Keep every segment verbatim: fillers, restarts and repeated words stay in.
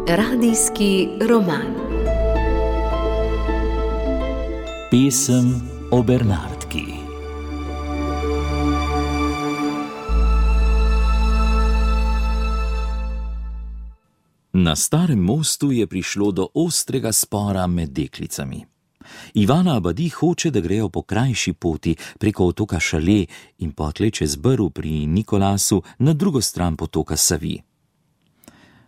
Radijski roman. Pesem o Bernardki. Na starem mostu je prišlo do ostrega spora med deklicami. Ivana Abadi hoče, da grejo po krajši poti preko otoka Šale in potlej čez Brv pri Nikolasu na drugo stran potoka Savi.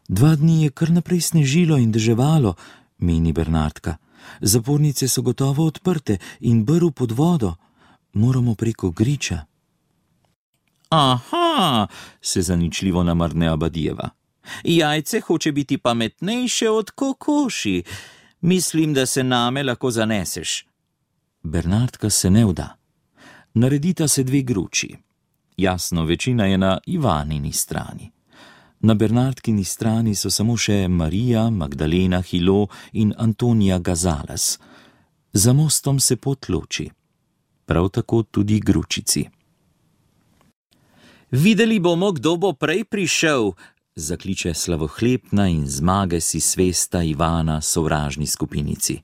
Dva dni je kar naprej snežilo in deževalo, meni Bernardka. Zapornice so gotovo odprte in Brv pod vodo. Moramo preko griča. Aha, se zaničljivo namrne Abadijeva. Jajce hoče biti pametnejše od kokoši. Mislim, da se name lahko zaneseš. Bernardka se ne vda. Naredita se dve gruči. Jasno, večina je na Ivanini strani. Na Bernardkini strani so samo še Marija, Magdalena Hilo in Antonija Gazales. Za mostom se pot loči. Prav tako tudi gručici. Videli bomo, kdo bo prej prišel, zakliče slavohlepna in zmage si svesta Ivana sovražni skupinici.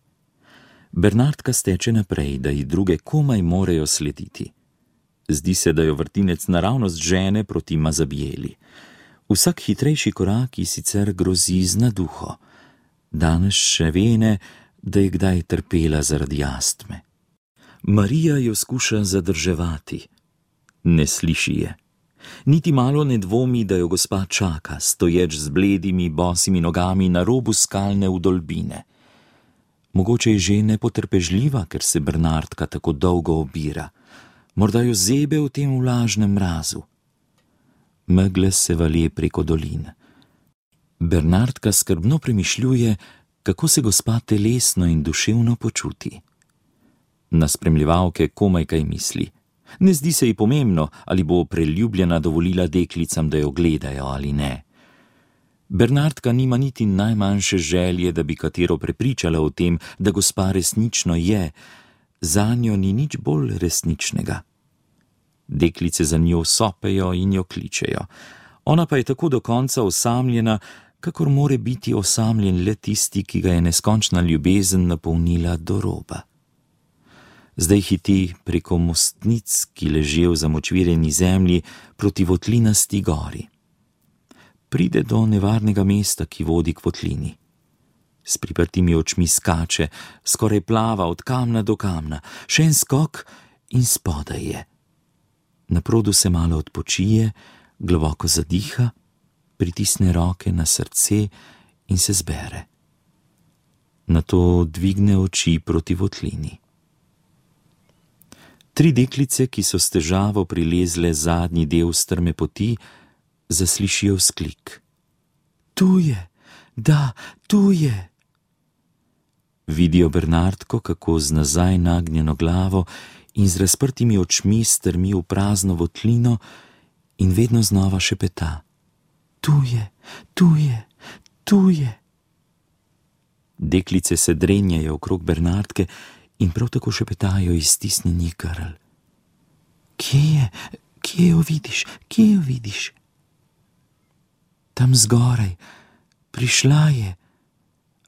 Bernardka steče naprej, da ji druge komaj morejo slediti. Zdi se, da jo vrtinec naravnost žene proti Mazabijeli. Vsak hitrejši korak ji sicer grozi z naduho. Danes še vene, da je kdaj trpela zaradi astme. Marija jo skuša zadrževati. Ne sliši je. Niti malo ne dvomi, da jo gospa čaka, stoječ z bledimi, bosimi nogami na robu skalne vdolbine. Mogoče je že nepotrpežljiva, ker se Bernardka tako dolgo obira. Morda jo zebe v tem vlažnem mrazu. Megle se valje preko dolin. Bernardka skrbno premišljuje, kako se gospa telesno in duševno počuti. Na spremljevalke komaj kaj misli. Ne zdi se ji pomembno, ali bo preljubljena dovolila deklicam, da jo gledajo ali ne. Bernardka nima niti najmanjše želje, da bi katero prepričala o tem, da gospa resnično je. Zanjo ni nič bolj resničnega. Deklice za njo sopejo in jo kličejo. Ona pa je tako do konca osamljena, kakor more biti osamljen le tisti, ki ga je neskončna ljubezen napolnila do roba. Zdaj hiti preko mostnic, ki ležijo v zamočvirjeni zemlji proti votlinasti gori. Pride do nevarnega mesta, ki vodi k votlini. S priprtimi očmi skače, skoraj plava od kamna do kamna, še en skok in spodaj je. Na produ se malo odpočije, globoko zadiha, pritisne roke na srce in se zbere. Nato dvigne oči proti votlini. Tri deklice, ki so s težavo prilezle zadnji del strme poti, zaslišijo vzklik. Tu je, da, tu je. Vidijo Bernardko, kako z nazaj nagnjeno glavo in z razprtimi očmi strmi v prazno votlino in vedno znova šepeta. Tu je, tu je, tu je. Deklice se drenjajo okrog Bernardke in prav tako šepetajo iz stisnjenih grl. Kje je, kje jo vidiš, kje jo vidiš? Tam zgoraj, prišla je.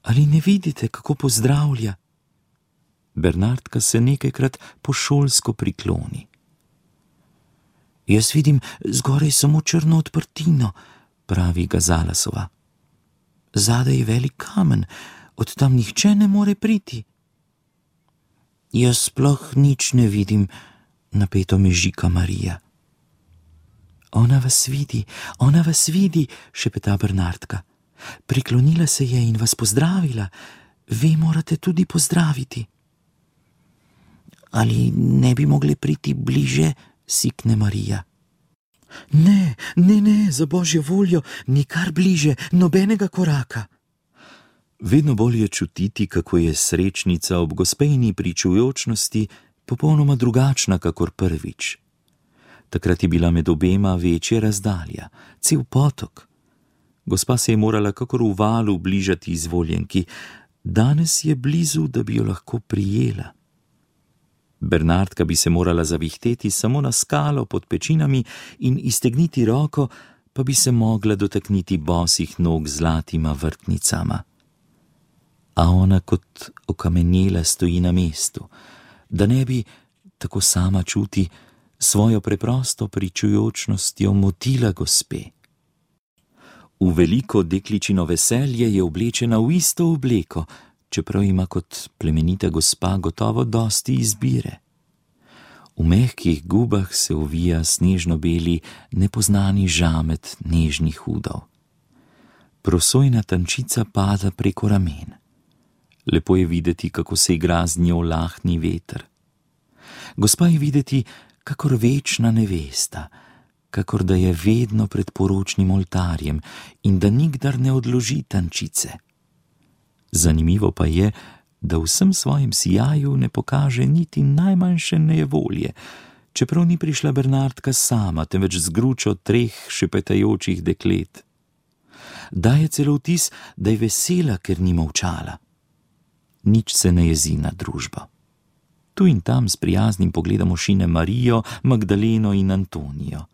Ali ne vidite, kako pozdravlja? Bernardka se nekajkrat pošolsko prikloni. Jaz vidim zgoraj samo črno odprtino, pravi Gazalasova. Zadaj je velik kamen, od tam nihče ne more priti. Jaz sploh nič ne vidim, napeto mežika Marija. Ona vas vidi, ona vas vidi, šepeta Bernardka. Priklonila se je in vas pozdravila. Vi morate tudi pozdraviti. Ali ne bi mogli priti bliže, sikne Marija. Ne, ne, ne, za božjo voljo, nikar bliže, nobenega koraka. Vedno bolj je čutiti, kako je srečnica ob gospejni pričujočnosti popolnoma drugačna kakor prvič. Takrat je bila med obema večja razdalja, cel potok. Gospa se je morala kakor v valu bližati izvoljenki, danes je blizu, da bi jo lahko prijela. Bernardka bi se morala zavihteti samo na skalo pod pečinami in iztegniti roko, pa bi se mogla dotakniti bosih nog z zlatima vrtnicama. A ona kot okamenjela stoji na mestu, da ne bi, tako sama čuti, svojo preprosto pričujočnostjo motila gospe. V veliko dekličino veselje je oblečena v isto obleko, čeprav ima kot plemenita gospa gotovo dosti izbire. V mehkih gubah se ovija snežno-beli, nepoznani žamet nežnih udov. Prosojna tančica pada preko ramen. Lepo je videti, kako se igra z njo lahni veter. Gospa je videti, kakor večna nevesta, kakor da je vedno pred poročnim oltarjem in da nikdar ne odloži tančice. Zanimivo pa je, da v vsem svojem sijaju ne pokaže niti najmanjše nejevolje, čeprav ni prišla Bernardka sama, temveč z gručo treh šepetajočih deklet. Daje celo vtis, da je vesela, ker ni molčala. Nič se ne jezi na družbo. Tu in tam s prijaznim pogledom ošine Marijo, Magdaleno in Antonijo.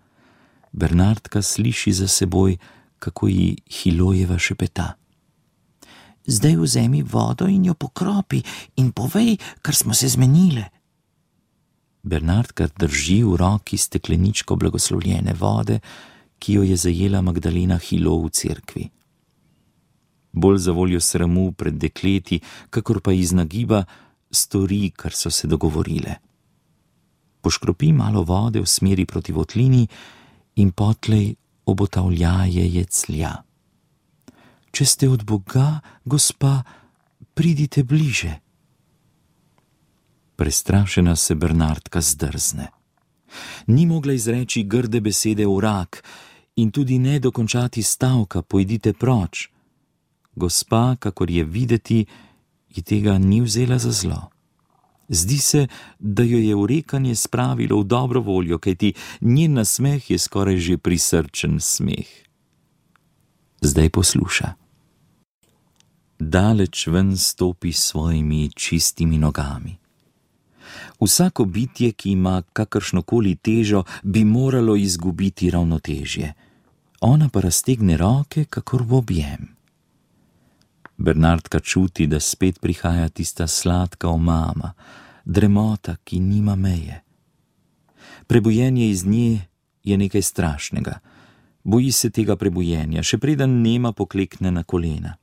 Bernardka sliši za seboj, kako ji Hilojeva šepeta. Zdaj vzemi vodo in jo pokropi in povej, kar smo se zmenile. Bernardka drži v roki stekleničko blagoslovljene vode, ki jo je zajela Magdalena Hilo v cerkvi. Bolj zavoljo sramu pred dekleti, kakor pa iz nagiba, stori, kar so se dogovorile. Poškropi malo vode v smeri proti votlini in potlej obotavljaje jeclja. Če ste od Boga, gospa, pridite bliže. Prestrašena se Bernardka zdrzne. Ni mogla izreči grde besede urak in tudi ne dokončati stavka pojdite proč. Gospa, kakor je videti, ji tega ni vzela za zlo. Zdi se, da jo je urekanje spravilo v dobro voljo, kajti njen nasmeh je skoraj že prisrčen smeh. Zdaj posluša. Daleč ven stopi s svojimi čistimi nogami. Vsako bitje, ki ima kakršnokoli težo, bi moralo izgubiti ravnotežje. Ona pa raztegne roke, kakor v objem. Bernardka čuti, da spet prihaja tista sladka omama, dremota, ki nima meje. Prebujenje iz nje je nekaj strašnega. Boji se tega prebujenja, še preden nema poklekne na kolena.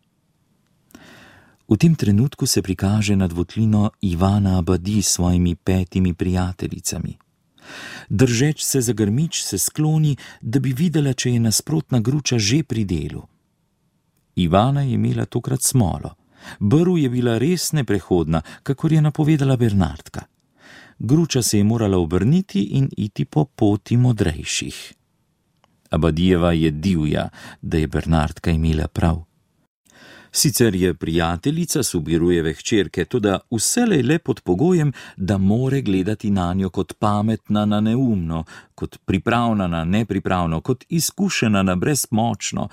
V tem trenutku se prikaže nad votlino Ivana Abadi s svojimi petimi prijateljicami. Držeč se za grmič se skloni, da bi videla, če je nasprotna gruča že pri delu. Ivana je imela tokrat smolo. Brv je bila res neprehodna, kakor je napovedala Bernardka. Gruča se je morala obrniti in iti po poti modrejših. Abadijeva je divja, da je Bernardka imela prav. Sicer je prijateljica Subirujeve hčerke, toda vselej le pod pogojem, da more gledati nanjo kot pametna na neumno, kot pripravna na nepripravno, kot izkušena na brezmočno,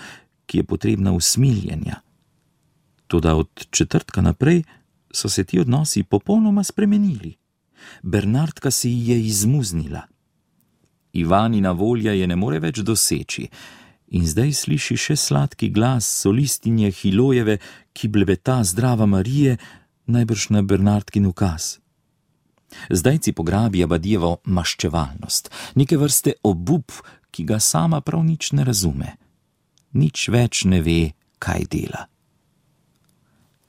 ki je potrebna usmiljenja. Toda od četrtka naprej so se ti odnosi popolnoma spremenili. Bernardka se ji je izmuznila. Ivanina volja je ne more več doseči in zdaj sliši še sladki glas solistinje Hilojeve, ki blebeta zdrava Marije, najbrž na Bernardkin ukaz. Zdajci pograbi Abadijevo maščevalnost, neke vrste obup, ki ga sama prav nič ne razume. Nič več ne ve, kaj dela.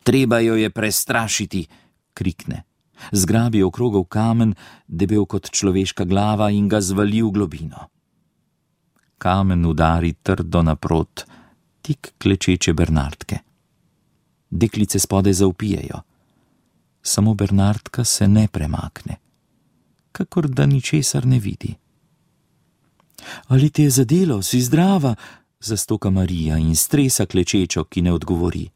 Treba jo je prestrašiti, krikne. Zgrabi okrogel kamen, debel kot človeška glava in ga zvali v globino. Kamen udari trdo naprot, tik klečeče Bernardke. Deklice spodaj zavpijejo. Samo Bernardka se ne premakne, kakor da ničesar ne vidi. Ali te je zadelo, si zdrava? Zastoka Marija in stresa klečečo, ki ne odgovori.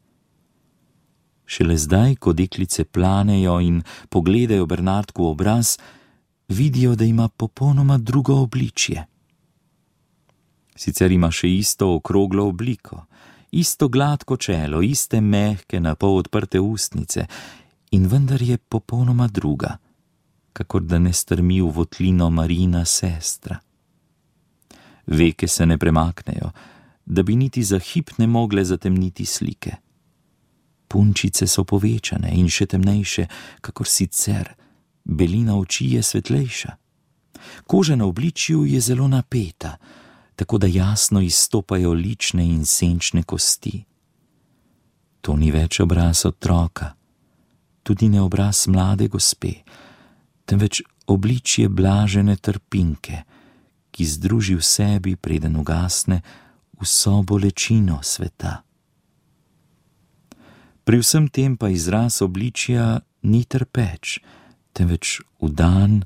Šele zdaj, ko deklice planejo in pogledajo Bernardku v obraz, vidijo, da ima popolnoma drugo obličje. Sicer ima še isto okroglo obliko, isto gladko čelo, iste mehke, napol odprte ustnice in vendar je popolnoma druga. kakor da ne strmi v votlino Marijina sestra. Veke se ne premaknejo, da bi niti za hip ne mogle zatemniti slike. Punčice so povečane in še temnejše, kakor sicer, belina oči je svetlejša. Koža na obličju je zelo napeta, tako da jasno izstopajo lične in senčne kosti. To ni več obraz otroka, tudi ne obraz mlade gospe, temveč obličje blažene trpinke, ki združi v sebi, preden ugasne, vso bolečino sveta. Pri vsem tem pa izraz obličja ni trpeč, temveč vdan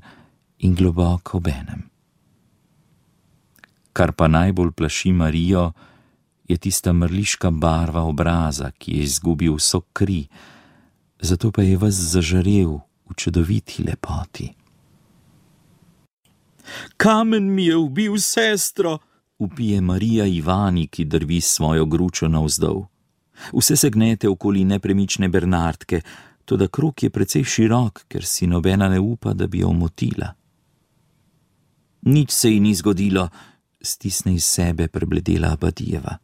in globoko obenem. Kar pa najbolj plaši Marijo, je tista mrliška barva obraza, ki je izgubil vso kri, zato pa je ves zažarel v čudoviti lepoti. Kamen mi je ubil sestro, vpije Marija Ivani, ki drvi svojo gručo navzdol. Vse se gnete okoli nepremične Bernardke, toda krog je precej širok, ker si nobena ne upa, da bi jo motila. Nič se ji ni zgodilo, stisne iz sebe prebledela Abadijeva.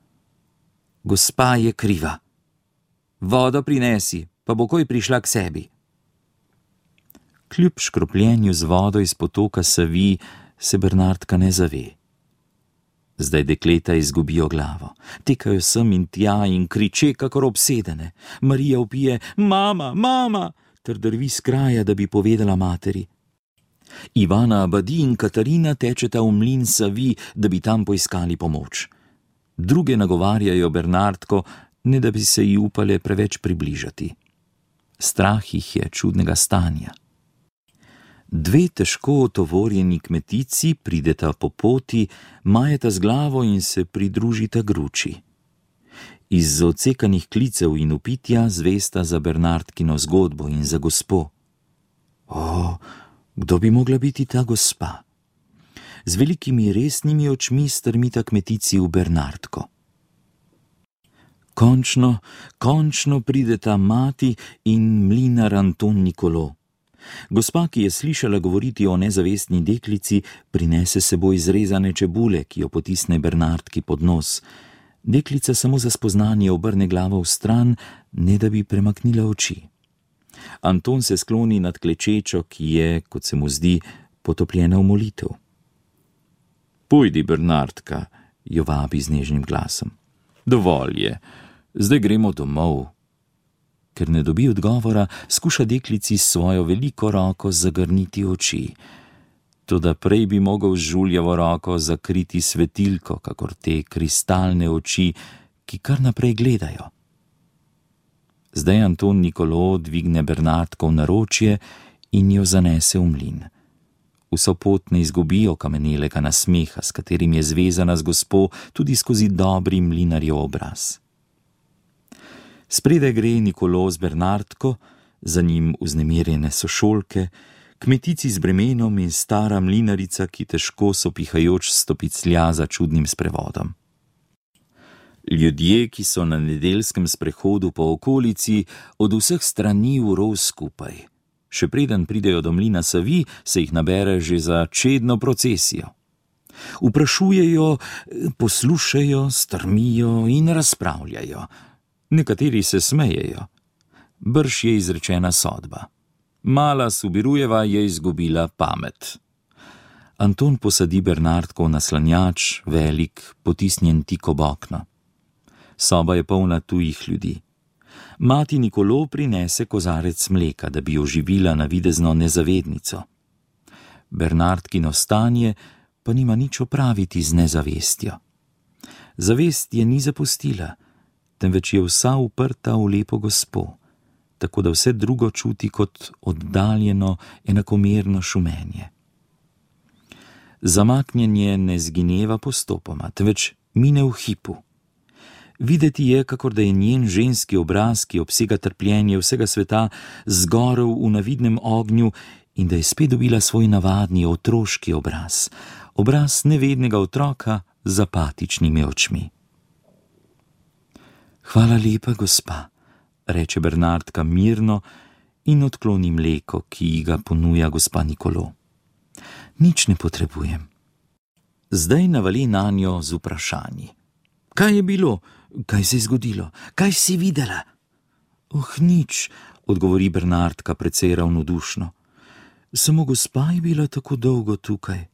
Gospa je kriva. Vodo prinesi, pa bo koj prišla k sebi. Kljub škropljenju z vodo iz potoka Savi se Bernardka ne zave. Zdaj dekleta izgubijo glavo, tekajo sem in tja in kriče kakor obsedene. Marija vpije: mama, mama, ter drvi s kraja, da bi povedala materi. Ivana Abadi in Katarina tečeta v mlin Savi, da bi tam poiskali pomoč. Druge nagovarjajo Bernardko, ne da bi se ji upale preveč približati. Strah jih je čudnega stanja. Dve težko otovorjeni kmetici prideta po poti, majeta z glavo in se pridružita gruči. Iz odsekanih klicev in upitja zvesta za Bernardkino zgodbo in za gospo. O, kdo bi mogla biti ta gospa? Z velikimi resnimi očmi strmita kmetici v Bernardko. Končno, končno prideta mati in mlinar Anton Nikolo. Gospa, ki je slišala govoriti o nezavestni deklici, prinese seboj izrezane čebule, ki jo potisne Bernardki pod nos. Deklica samo za spoznanje obrne glavo v stran, ne da bi premaknila oči. Anton se skloni nad klečečo, ki je, kot se mu zdi, potopljena v molitev. Pojdi, Bernardka, jo vabi z nežnim glasom. Dovolj je, zdaj gremo domov. Ker ne dobi odgovora, skuša deklici s svojo veliko roko zagrniti oči. Toda prej bi mogel z žuljevo roko zakriti svetilko, kakor te kristalne oči, ki kar naprej gledajo. Zdaj Anton Nikolo dvigne Bernardko v naročje in jo zanese v mlin. Vso pot ne izgubijo kamenelega nasmeha, s katerim je zvezana z gospo tudi skozi dobri mlinarjev obraz. Spredaj gre Nikolo z Bernardko, za njim vznemirjene sošolke, kmetici z bremenom in stara mlinarica, ki težko sopihajoč stopiclja za čudnim sprevodom. Ljudje, ki so na nedeljskem sprehodu po okolici, od vseh strani vrov skupaj. Še preden pridejo do mlina Savi, se jih nabere že za čedno procesijo. Vprašujejo, poslušajo, strmijo in razpravljajo. Nekateri se smejejo. Brž je izrečena sodba. Mala Subirujeva je izgubila pamet. Anton posadi Bernardko v naslanjač, velik, potisnjen tik ob okno. Soba je polna tujih ljudi. Mati Nikolo prinese kozarec mleka, da bi oživila navidezno nezavednico. Bernardkino stanje pa nima nič opraviti z nezavestjo. Zavest je ni zapustila, temveč je vsa uprta v lepo gospo, tako da vse drugo čuti kot oddaljeno, enakomerno šumenje. Zamaknjenje ne zgineva postopoma, temveč mine v hipu. Videti je, kakor da je njen ženski obraz, ki obsega trpljenje vsega sveta, zgorel v navidnem ognju in da je spet dobila svoj navadni otroški obraz, obraz nevednega otroka z apatičnimi očmi. Hvala lepa, gospa, reče Bernardka mirno in odkloni mleko, ki ji ga ponuja gospa Nikolo. Nič ne potrebujem. Zdaj navali nanjo z vprašanji. Kaj je bilo? Kaj se je zgodilo? Kaj si videla? Oh, nič, odgovori Bernardka precej ravnodušno. Samo gospa je bila tako dolgo tukaj.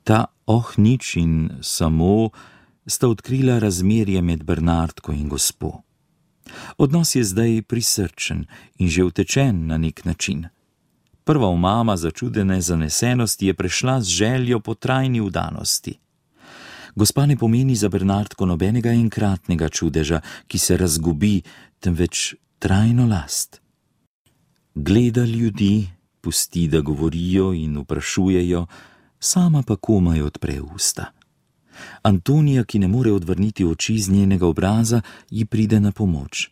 Ta oh, nič in samo sta odkrila razmerje med Bernardko in gospo. Odnos je zdaj prisrčen in že utečen na nek način. Prva omama začudene zanesenosti je prešla z željo po trajni vdanosti. Gospa ne pomeni za Bernardko nobenega enkratnega čudeža, ki se razgubi, temveč trajno last. Gleda ljudi, pusti, da govorijo in vprašujejo, sama pa komaj odpre usta. Antonija, ki ne more odvrniti oči z njenega obraza, ji pride na pomoč.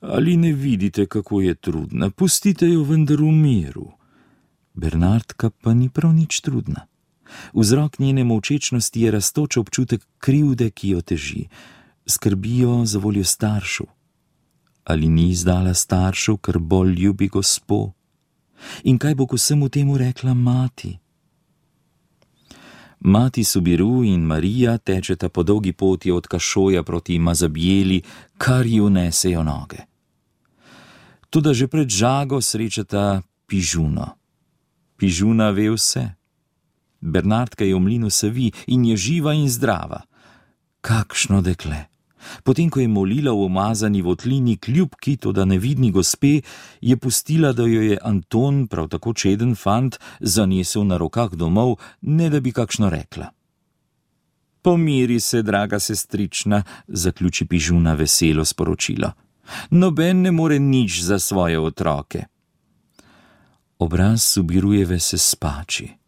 Ali ne vidite, kako je trudna? Pustite jo vendar v miru. Bernardka pa ni prav nič trudna. Vzrok njene molčečnosti je rastoč občutek krivde, ki jo teži. Skrbijo za voljo staršev. Ali ni izdala staršev, ker bolj ljubi gospo? In kaj bo k vsemu temu rekla mati? Mati Subiru in Marija tečeta po dolgi poti od Kašoja proti Mazabjeli, kar ji unesejo noge. Toda že pred žago srečata Pižuno. Pižuna ve vse. Bernardka je v mlinu savi in je živa in zdrava. Kakšno dekle! Potem, ko je molila v umazani votlini kljubki, toda nevidni gospe, je pustila, da jo je Anton, prav tako čeden fant, zanesel na rokah domov, ne da bi kakšno rekla. Pomiri se, draga sestrična, zaključi Pižuna veselo sporočilo. Noben ne more nič za svoje otroke. Obraz Subirujeve se spači.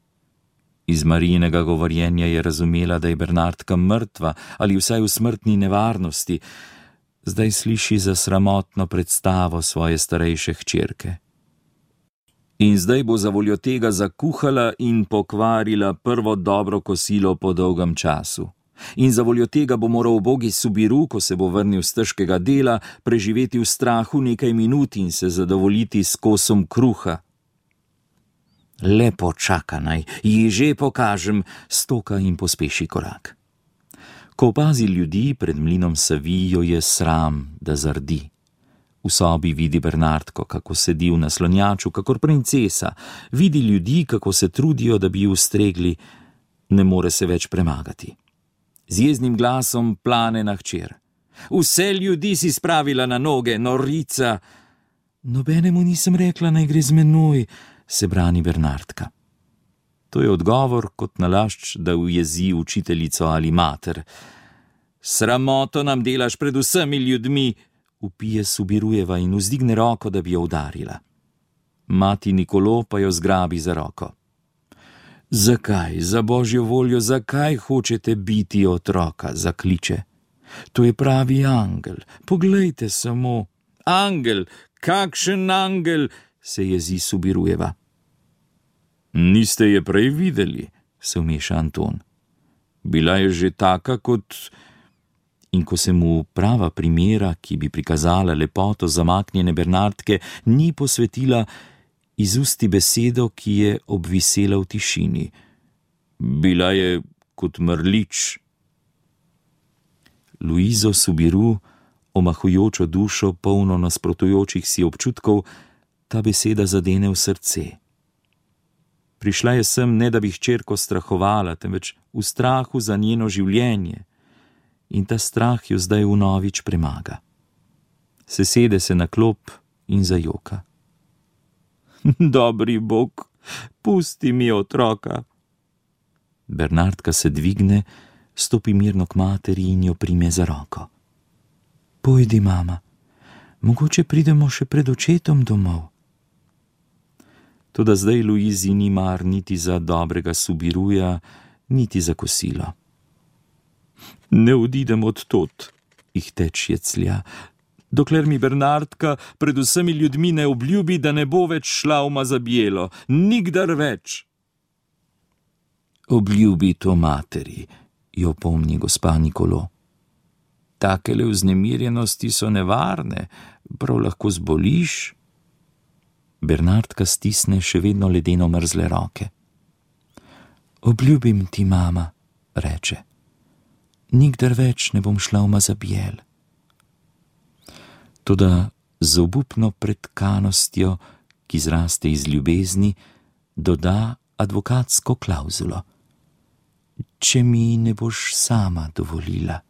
Iz Marijinega govorjenja je razumela, da je Bernardka mrtva ali vsaj v smrtni nevarnosti. Zdaj sliši za sramotno predstavo svoje starejše hčerke. In zdaj bo zavoljo tega zakuhala in pokvarila prvo dobro kosilo po dolgem času. In zavoljo tega bo moral ubogi Subiru, ko se bo vrnil z težkega dela, preživeti v strahu nekaj minut in se zadovoljiti s kosom kruha. Lepo čaka naj, ji že pokažem, stoka in pospeši korak. Ko opazi ljudi pred mlinom savi, jo je sram, da zardi. V sobi vidi Bernardko, kako sedi v naslonjaču, kakor princesa, vidi ljudi, kako se trudijo, da bi ju ustregli, ne more se več premagati. Z jeznim glasom plane na hčer. Vse ljudi si spravila na noge, norica. Nobenemu nisem rekla, naj gre z menoj, se brani Bernardka. To je odgovor kot nalašč, da ujezi učiteljico ali mater. Sramoto nam delaš pred vsemi ljudmi, vpije Subirujeva in vzdigne roko, da bi jo udarila. Mati Nikolo pa jo zgrabi za roko. Zakaj, za božjo voljo, zakaj hočete biti otroka, zakliče. To je pravi angel, poglejte samo. Angel, kakšen angel, se jezi Subirujeva. Niste je prej videli, se vmeša Anton. Bila je že taka kot... In ko se mu prava primera, ki bi prikazala lepoto zamaknjene Bernardke, ni posvetila, izusti besedo, ki je obvisela v tišini. Bila je kot mrlič. Luizo Subiru, omahujočo dušo, polno nasprotujočih si občutkov, ta beseda zadene v srce. Prišla je sem, ne da bi hčerko strahovala, temveč v strahu za njeno življenje. In ta strah jo zdaj vnovič premaga. Sesede se na klop in zajoka. Dobri Bog, pusti mi otroka. Bernardka se dvigne, stopi mirno k materi in jo prime za roko. Pojdi, mama, mogoče pridemo še pred očetom domov. Toda zdaj Luizi ni mar niti za dobrega Subiruja, niti za kosilo. Ne odidem od tod, jih teč jeclja, dokler mi Bernardka pred vsemi ljudmi ne obljubi, da ne bo več šla v Mazabjelo, nikdar več. Obljubi to materi, jo pomni gospa Nikolo. Takele vznemirjenosti so nevarne, prav lahko zboliš, Bernardka stisne še vedno ledeno mrzle roke. Obljubim ti, mama, reče. Nikdar več ne bom šla v Mazabijel. Toda z obupno pretkanostjo, ki zraste iz ljubezni, doda advokatsko klauzulo. Če mi ne boš sama dovolila.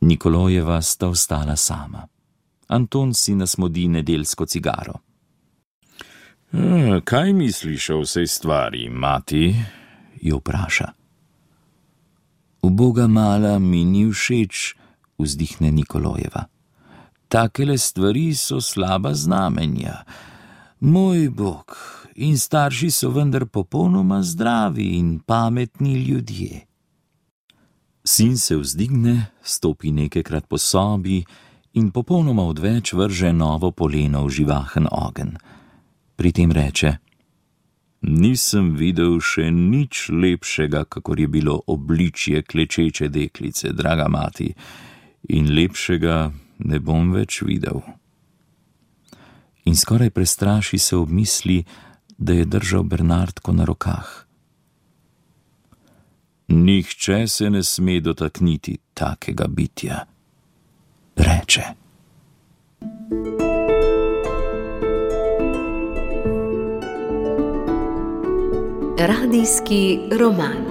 Nikolojeva sta ostala sama. Anton si nasmodi nedeljsko cigaro. E, kaj misliš o vsej stvari, mati? Jo vpraša. Uboga mala mi ni všeč, vzdihne Nikolojeva. Takele stvari so slaba znamenja. Moj bog, in starši so vendar popolnoma zdravi in pametni ljudje. Sin se vzdigne, stopi nekajkrat po sobi in popolnoma odveč vrže novo poleno v živahen ogenj. Pri tem reče: Nisem videl še nič lepšega, kakor je bilo obličje klečeče deklice, draga mati, in lepšega ne bom več videl. In skoraj prestraši se ob misli, da je držal Bernardko na rokah. Nihče se ne sme dotakniti takega bitja, reče. Radijski roman.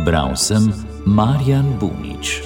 Bral sem Marjan Bunič.